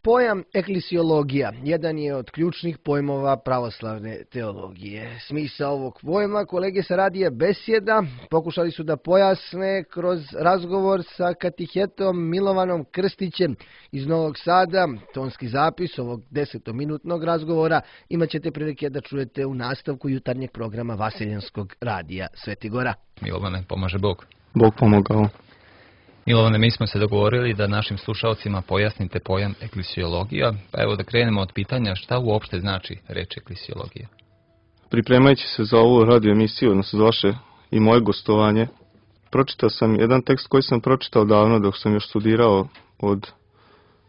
Pojam eklisiologija jedan je od ključnih pojmova pravoslavne teologije. Smisao ovog pojma kolege sa radija Besjeda pokušali su da pojasne kroz razgovor sa katehetom Milovanom Krstićem iz Novog Sada. Tonski zapis ovog 10-minutnog razgovora imat ćete prilike da čujete u nastavku jutarnjeg programa Vaseljenskog radija Svetigora. Milovane, pomaže Bog. Bog pomogao. Milovane, mi smo se dogovorili da našim slušalcima pojasnite pojam eklisiologija, pa evo da krenemo od pitanja šta uopšte znači reč eklisiologija. Pripremajući se za ovu radio emisiju, odnosno za vaše i moje gostovanje, pročitao sam jedan tekst koji sam pročitao davno dok sam još studirao od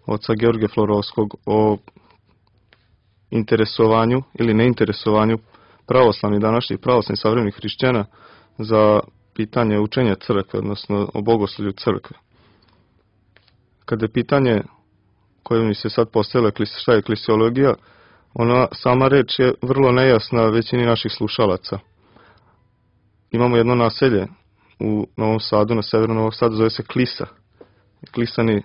oca Georgija Florovskog o interesovanju ili neinteresovanju današnjih pravoslavnih savremenih hrišćana za pitanje učenja crkve, odnosno o bogoslovlju crkve. Kada je pitanje koje mi se sad postavilo šta je eklisiologija, ona sama reč je vrlo nejasna većini naših slušalaca. Imamo jedno naselje u Novom Sadu, na severu Novog Sada, zove se Klisa. Klisani,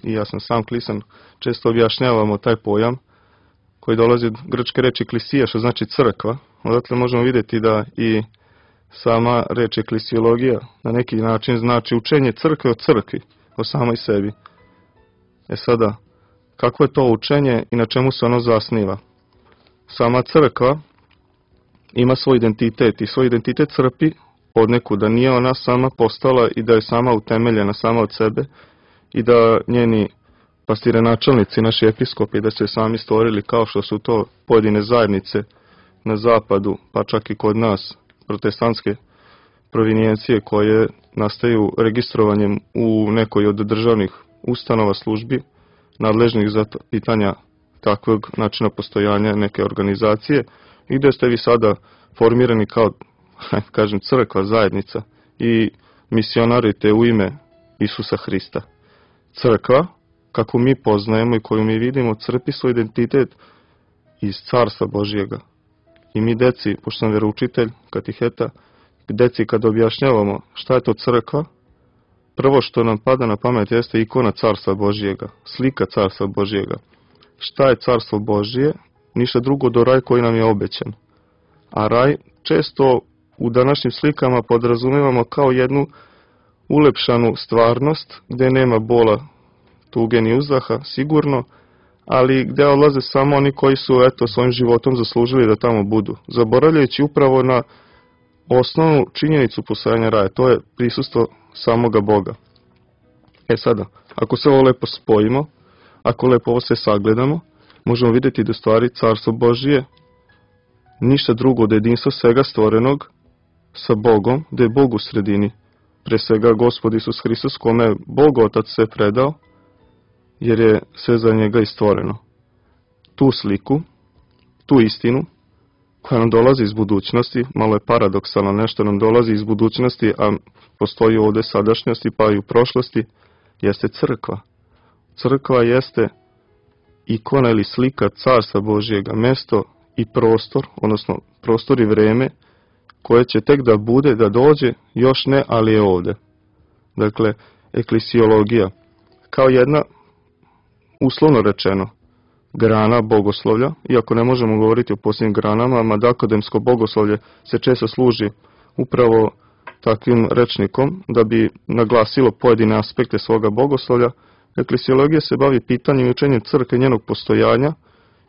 i ja sam sam Klisan, često objašnjavamo taj pojam koji dolazi od grčke reči klisija, što znači crkva. Odatle možemo vidjeti da i sama reč eklisiologija na neki način znači učenje crkve o crkvi, o samoj sebi. Sada, kako je to učenje i na čemu se ono zasniva? Sama crkva ima svoj identitet i svoj identitet crpi od neku, da nije ona sama postala i da je sama utemeljena sama od sebe i da njeni pastirenačelnici, naši episkopi, da se sami stvorili kao što su to pojedine zajednice na zapadu, pa čak i kod nas, protestantske provinijencije koje nastaju registrovanjem u nekoj od državnih ustanova službi nadležnih za pitanja takvog načina postojanja neke organizacije i gdje ste vi sada formirani kao, kažem, crkva, zajednica i misionarite u ime Isusa Hrista. Crkva, kako mi poznajemo i koju mi vidimo, crpi svoj identitet iz Carstva Božjega. I mi deci, pošto sam veroučitelj, kateheta, deci kad objašnjavamo šta je to crkva, prvo što nam pada na pamet jeste ikona Carstva Božjega, slika Carstva Božjega. Šta je Carstvo Božje? Ništa drugo do raj koji nam je obećan. A raj često u današnjim slikama podrazumevamo kao jednu ulepšanu stvarnost gdje nema bola, tuge ni uzdaha, sigurno, ali gdje odlaze samo oni koji su svojim životom zaslužili da tamo budu, zaboravljajući upravo na osnovnu činjenicu postojanja raja, to je prisustvo samoga Boga. Sada, ako se ovo lepo spojimo, ako lepo ovo se sagledamo, možemo vidjeti da stvari Carstvo Božije ništa drugo od jedinstva svega stvorenog sa Bogom, da je Bog u sredini, pre svega Gospod Isus Hristos, kome je Bog Otac sve predao, jer je sve za njega i stvoreno. Tu sliku, tu istinu, koja nam dolazi iz budućnosti, malo je paradoksalno, nešto nam dolazi iz budućnosti, a postoji ovdje sadašnjosti, pa i u prošlosti, jeste crkva. Crkva jeste ikona ili slika Carstva Božjega, mesto i prostor, odnosno prostor i vreme, koje će tek da bude, da dođe, još ne, ali je ovdje. Dakle, eklisiologija, kao jedna, uslovno rečeno, grana bogoslovlja, iako ne možemo govoriti o posljednjim granama, mada akademsko bogoslovlje se često služi upravo takvim rečnikom da bi naglasilo pojedine aspekte svoga bogoslovlja. Eklisiologija se bavi pitanjem i učenjem crkve, njenog postojanja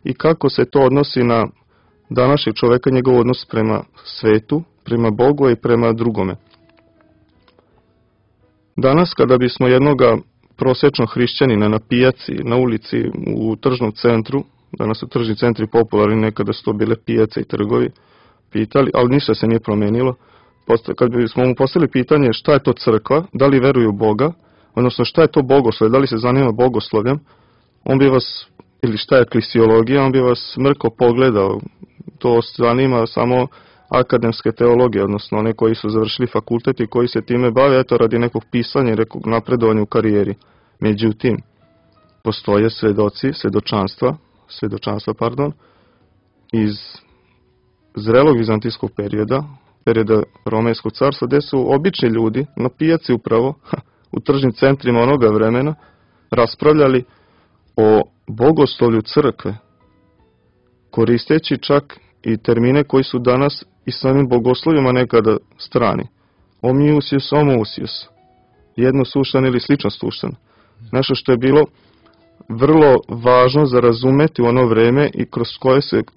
i kako se to odnosi na današnjeg čoveka, njegov odnos prema svetu, prema Bogu i prema drugome. Danas, kada bismo jednoga prosječnog hrišćanina na pijaci, na ulici, u tržnom centru, danas su tržni centri popularni, nekada su to bile pijace i trgovi, pitali, ali ništa se nije promenilo. Kad bismo mu postavili pitanje šta je to crkva, da li veruju u Boga, odnosno šta je to bogoslovlje, da li se zanima bogoslovljem, on bi vas, ili šta je eklisiologija, on bi vas mrko pogledao. To zanima samo akademske teologije, odnosno one koji su završili fakultet i koji se time bave, radi nekog pisanja i nekog napredovanja u karijeri. Međutim, postoje svedočanstva iz zrelog vizantijskog perioda Romejskog carstva, gdje su obični ljudi na pijaci upravo, u tržnim centrima onoga vremena, raspravljali o bogoslovlju crkve, koristeći čak i termine koji su danas i samim bogoslovima nekada strani. Homoousios, homoousios, jednosuštan ili slično suštan. Nešto što je bilo vrlo važno za razumeti u ono vreme i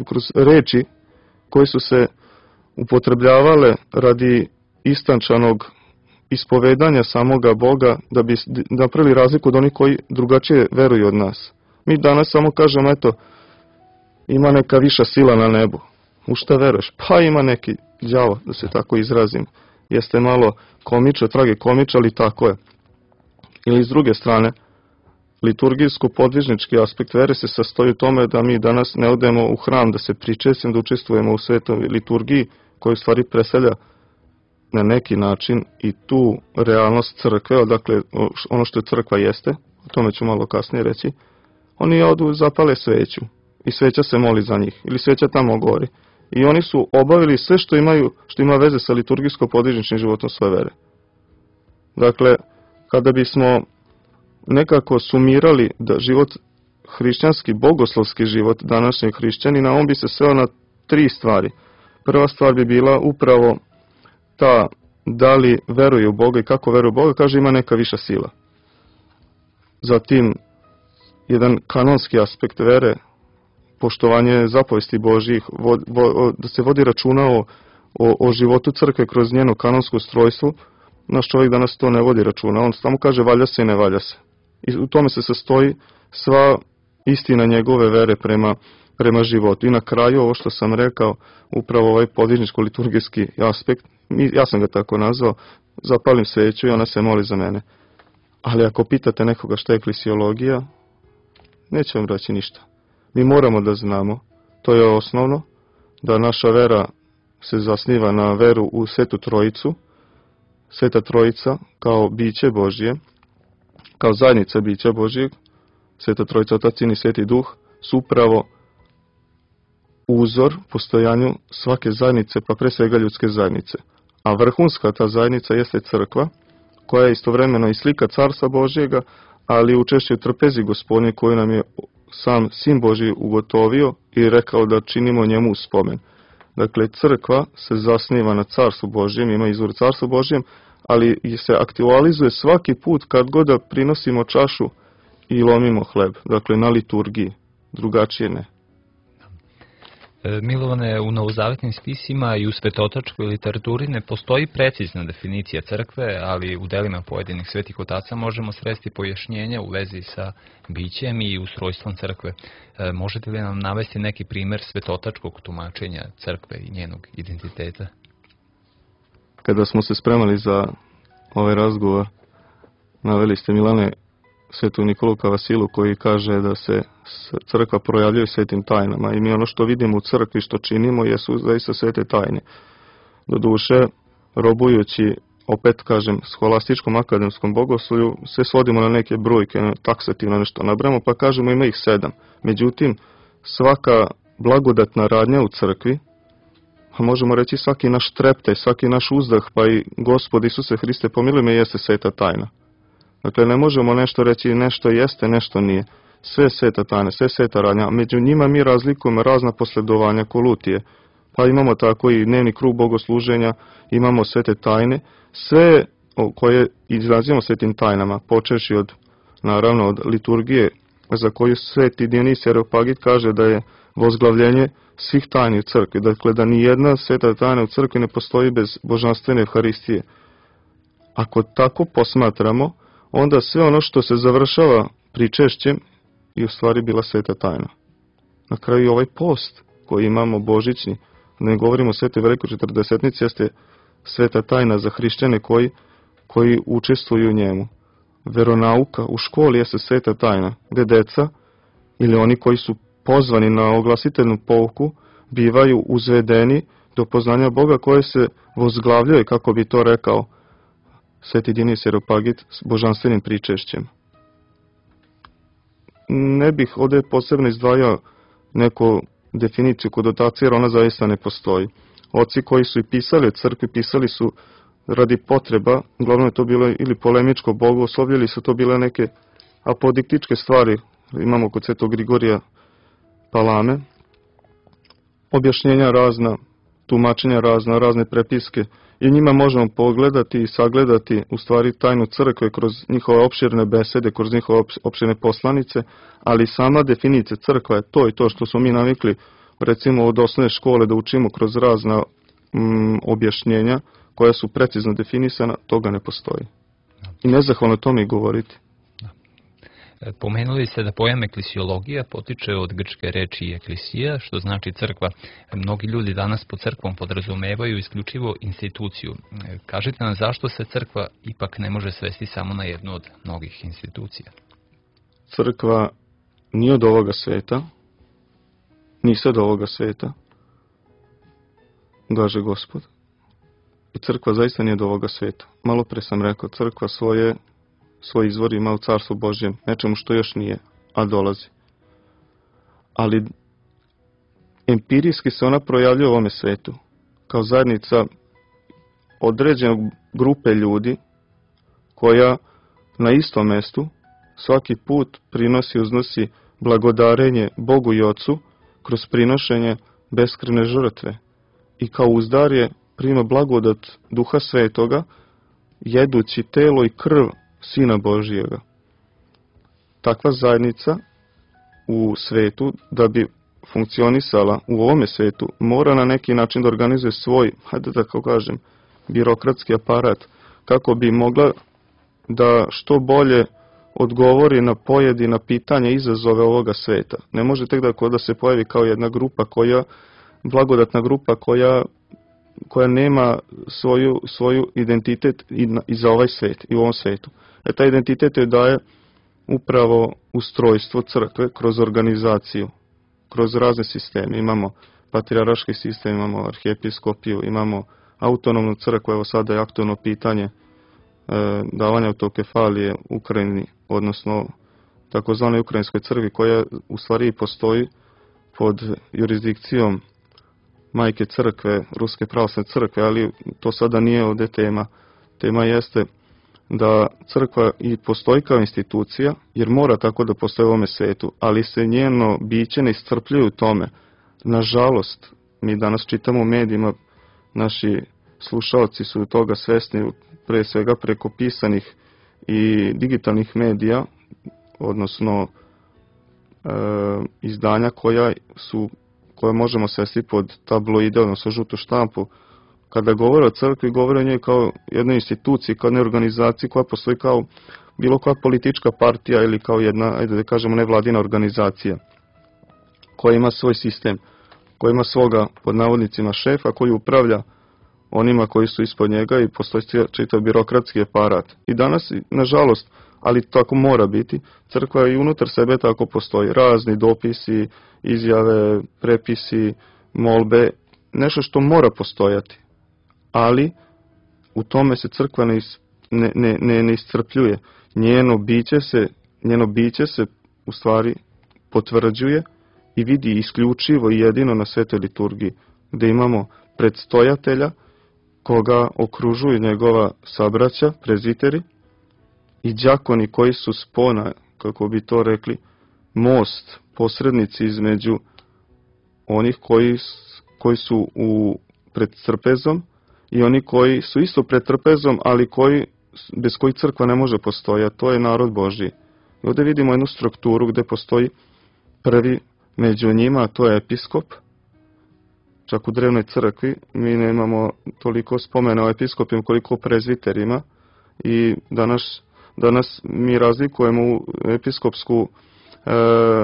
kroz reči koje su se upotrebljavale radi istančanog ispovedanja samoga Boga, da bi napravili razliku od onih koji drugačije veruju od nas. Mi danas samo kažemo, eto, ima neka viša sila na nebu. U šta veruješ? Pa ima neki đavo, da se tako izrazim. Jeste malo komiča, tragikomiča, ali tako je. Ili s druge strane, liturgijsko-podvižnički aspekt vere se sastoji u tome da mi danas ne odemo u hram da se pričesimo, da učestvujemo u svetoj liturgiji, koju u stvari predstavlja na neki način i tu realnost crkve, odakle ono što je crkva jeste, o tome ću malo kasnije reći. Oni odu, zapale sveću i sveća se moli za njih, ili sveća tamo gori. I oni su obavili sve što ima veze sa liturgijsko-podvižničnim životom svoje vere. Dakle, kada bismo nekako sumirali da život hrišćanski, bogoslovski život današnjeg hrišćanina, on bi se sveo na 3 stvari. Prva stvar bi bila upravo ta da li veruje u Boga i kako veruje u Boga, kaže ima neka viša sila. Zatim, jedan kanonski aspekt vere, poštovanje zapovesti Božjih, da se vodi računa o životu crkve kroz njeno kanonsko ustrojstvo. Naš čovjek danas to ne vodi računa, on samo kaže valja se i ne valja se. I u tome se sastoji sva istina njegove vere prema životu. I na kraju, ovo što sam rekao, upravo ovaj podvižničko-liturgijski aspekt, ja sam ga tako nazvao, zapalim sveću i ona se moli za mene. Ali ako pitate nekoga šta je eklesiologija, neće vam reći ništa. Mi moramo da znamo, to je osnovno, da naša vera se zasniva na veru u Svetu Trojicu, Sveta Trojica kao biće Božje, kao zajednica bića Božjeg, Sveta Trojica, Otac, Sin i Sveti Duh, su upravo uzor postojanju svake zajednice, pa pre svega ljudske zajednice. A vrhunska ta zajednica jeste crkva, koja je istovremeno i slika Carstva Božjega, ali učešće u trpezi Gospodnje koju nam je sam Sin Božji ugotovio i rekao da činimo njemu spomen. Dakle, crkva se zasniva na Carstvu Božjem, ima izvor Carstvu Božjem, ali se aktualizuje svaki put kad god da prinosimo čašu i lomimo hleb. Dakle, na liturgiji, drugačije ne. Milovane, u novozavetnim spisima i u svetotačkoj literaturi ne postoji precizna definicija crkve, ali u delima pojedinih svetih otaca možemo sresti pojašnjenja u vezi sa bićem i ustrojstvom crkve. Možete li nam navesti neki primer svetotačkog tumačenja crkve i njenog identiteta? Kada smo se spremali za ovaj razgovor, naveli ste, Milane, svetu Nikolu Kavasilu, koji kaže da se crkva projavljuje svetim tajnama i mi ono što vidimo u crkvi, što činimo, jesu zaista svete tajne. Doduše, robujući, opet kažem, scholastičkom akademskom bogoslovlju, se svodimo na neke brojke, taksativno nešto nabramo, pa kažemo ima ih 7. Međutim, svaka blagodatna radnja u crkvi, a možemo reći svaki naš treptaj, svaki naš uzdah, pa i Gospod Isuse Hriste pomiluj me, jeste sveta tajna. Dakle, ne možemo nešto reći, nešto jeste, nešto nije. Sve sveta tajne, sve sveta radnja. Među njima mi razlikujemo razna posledovanja kolutije. Pa imamo tako i dnevni krug bogosluženja, imamo svete tajne. Sve koje izrazimo svetim tajnama, počeši naravno od liturgije, za koju sveti Dionisije Areopagit kaže da je vozglavljenje svih tajni u crkvi. Dakle, da ni jedna sveta tajna u crkvi ne postoji bez božanstvene Evharistije. Ako tako posmatramo, onda sve ono što se završava pričešćem je u stvari bila sveta tajna. Na kraju ovaj post koji imamo božićni, ne govorimo o svetoj velikoj četrdesetnici, jeste sveta tajna za hrišćane koji učestvuju u njemu. Veronauka u školi jeste sveta tajna, gde deca ili oni koji su pozvani na oglasiteljnu pouku bivaju uzvedeni do poznanja Boga koje se vozglavljuje, kako bi to rekao sveti Dionisije Areopagit, s božanstvenim pričešćem. Ne bih ovdje posebno izdvajao neku definiciju konotacije, jer ona zaista ne postoji. Oci koji su i pisali o crkvi, pisali su radi potreba, uglavnom je to bilo ili polemičko bogoslovlje, ili su to bile neke apodiktičke stvari imamo kod Svetog Grigorija Palame, objašnjenja razna, tumačenja razna, razne prepiske i njima možemo pogledati i sagledati u stvari tajnu crkve kroz njihove opširne besede, kroz njihove opširne poslanice, ali sama definicija crkva je to i to što smo mi navikli recimo od osnovne škole da učimo kroz razna objašnjenja koja su precizno definisana, toga ne postoji. I nezahvalno tome i govoriti. Pomenuli ste da pojam eklesiologija potiče od grčke reči eklisija, što znači crkva. Mnogi ljudi danas pod crkvom podrazumevaju isključivo instituciju. Kažite nam zašto se crkva ipak ne može svesti samo na jednu od mnogih institucija? Crkva nije od ovoga sveta, nije od ovoga sveta, kaže Gospod. I crkva zaista nije od ovoga sveta. Malo pre sam rekao, crkva svoj izvor ima u Carstvu Božjem, nečemu što još nije, a dolazi. Ali empirijski se ona projavljuje u ovome svetu, kao zajednica određenog grupe ljudi, koja na istom mestu svaki put uznosi blagodarenje Bogu i Ocu kroz prinošenje beskrajne žrtve. I kao uzdarje prima blagodat Duha Svetoga, jedući telo i krv Sina Božijega. Takva zajednica u svetu, da bi funkcionisala u ovome svetu, mora na neki način da organizuje svoj, hajde da tako kažem, birokratski aparat, kako bi mogla da što bolje odgovori na pojedina pitanja i izazove ovoga sveta. Ne može tek da se pojavi kao jedna grupa blagodatna grupa koja nema svoju identitet i za ovaj svet i u ovom svetu. Taj identitet joj daje upravo ustrojstvo crkve kroz organizaciju, kroz razne sisteme. Imamo patrijarški sistem, imamo arhijepiskopiju, imamo autonomnu crkvu, evo sada je aktualno pitanje davanja autokefalije Ukrajini, odnosno takozvanoj ukrajinskoj crkvi, koja u stvari postoji pod jurisdikcijom majke crkve, Ruske pravoslavne crkve, ali to sada nije ovdje tema. Tema jeste da crkva i postoji kao institucija, jer mora tako da postoji u ovome svetu, ali se njeno biće ne iscrpljuje u tome. Nažalost, mi danas čitamo u medijima, naši slušalci su toga svesni, pre svega preko pisanih i digitalnih medija, odnosno izdanja koja možemo svesti pod tabloide, odnosno žutu štampu. Kada govore o crkvi, govore o njoj kao jednoj instituciji, kao jednoj organizaciji koja postoji kao bilo koja politička partija ili kao jedna, ajde da kažemo, nevladina organizacija koja ima svoj sistem, koja ima svoga, pod navodnicima, šefa koji upravlja onima koji su ispod njega i postoji čitav birokratski aparat. I danas, nažalost, ali tako mora biti, crkva i unutar sebe tako postoji. Razni dopisi, izjave, prepisi, molbe, nešto što mora postojati. Ali u tome se crkva ne iscrpljuje. Njeno biće se u stvari potvrđuje i vidi isključivo i jedino na svetoj liturgiji, gdje imamo predstojatelja koga okružuju njegova sabraća, preziteri, i đakoni koji su spona, kako bi to rekli, most, posrednici između onih koji su pred trpezom i oni koji su isto pred trpezom, ali bez kojih crkva ne može postojati. To je narod Božji. I ovdje vidimo jednu strukturu gdje postoji prvi među njima, a to je episkop. Čak u drevnoj crkvi mi nemamo toliko spomena o episkopima koliko o prezviterima i danas mi razlikujemo episkopsku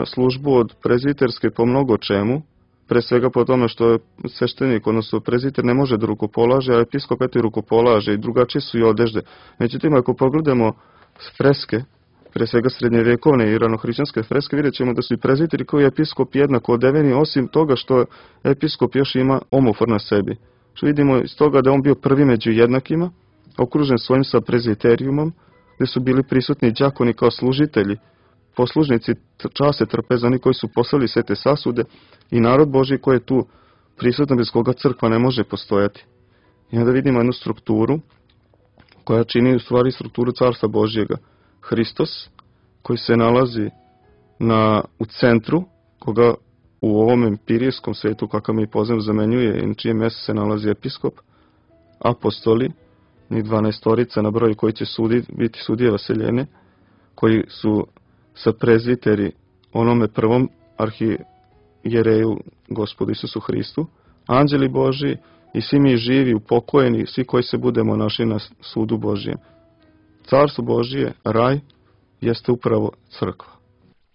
službu od prezviterske po mnogo čemu, pre svega po tome što je sveštenik, odnosno prezviter ne može da rukopolaže, a episkop eto i rukopolaže i drugačije su i odežde. Međutim, ako pogledamo freske, pre svega srednjevjekovne i ranohrišćanske freske, vidjet ćemo da su i prezviteri kao i episkop jednako odeveni, osim toga što episkop još ima omofor na sebi. Što vidimo iz toga da je on bio prvi među jednakima, okružen svojim sa prezviterijumom, gdje su bili prisutni đakoni kao služitelji, poslužnici čase trpeza, oni koji su poslali sve te sasude i narod Božji koji je tu prisutan, bez koga crkva ne može postojati. I onda vidimo jednu strukturu koja čini u stvari strukturu Carstva Božjega. Hristos, koji se nalazi u centru, koga u ovom empirijskom svetu kakav mi poznajem zamenjuje i na čijem mjestu se nalazi episkop, apostoli, ni 12 na broju koji će biti sudije vaseljene, koji su sa prezviteri onome prvom arhijereju Gospodu Isusu Hristu, anđeli Božji i svi mi živi, upokojeni, svi koji se budemo našli na sudu Božjem. Carstvo Božje, raj, jeste upravo crkva.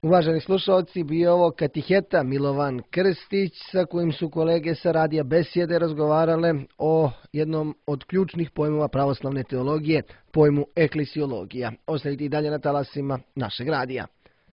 Uvaženi slušalci, bio ovo katiheta Milovan Krstić, sa kojim su kolege sa radija Besjede razgovarale o jednom od ključnih pojmova pravoslavne teologije, pojmu eklesiologija. Ostanite i dalje na talasima našeg radija.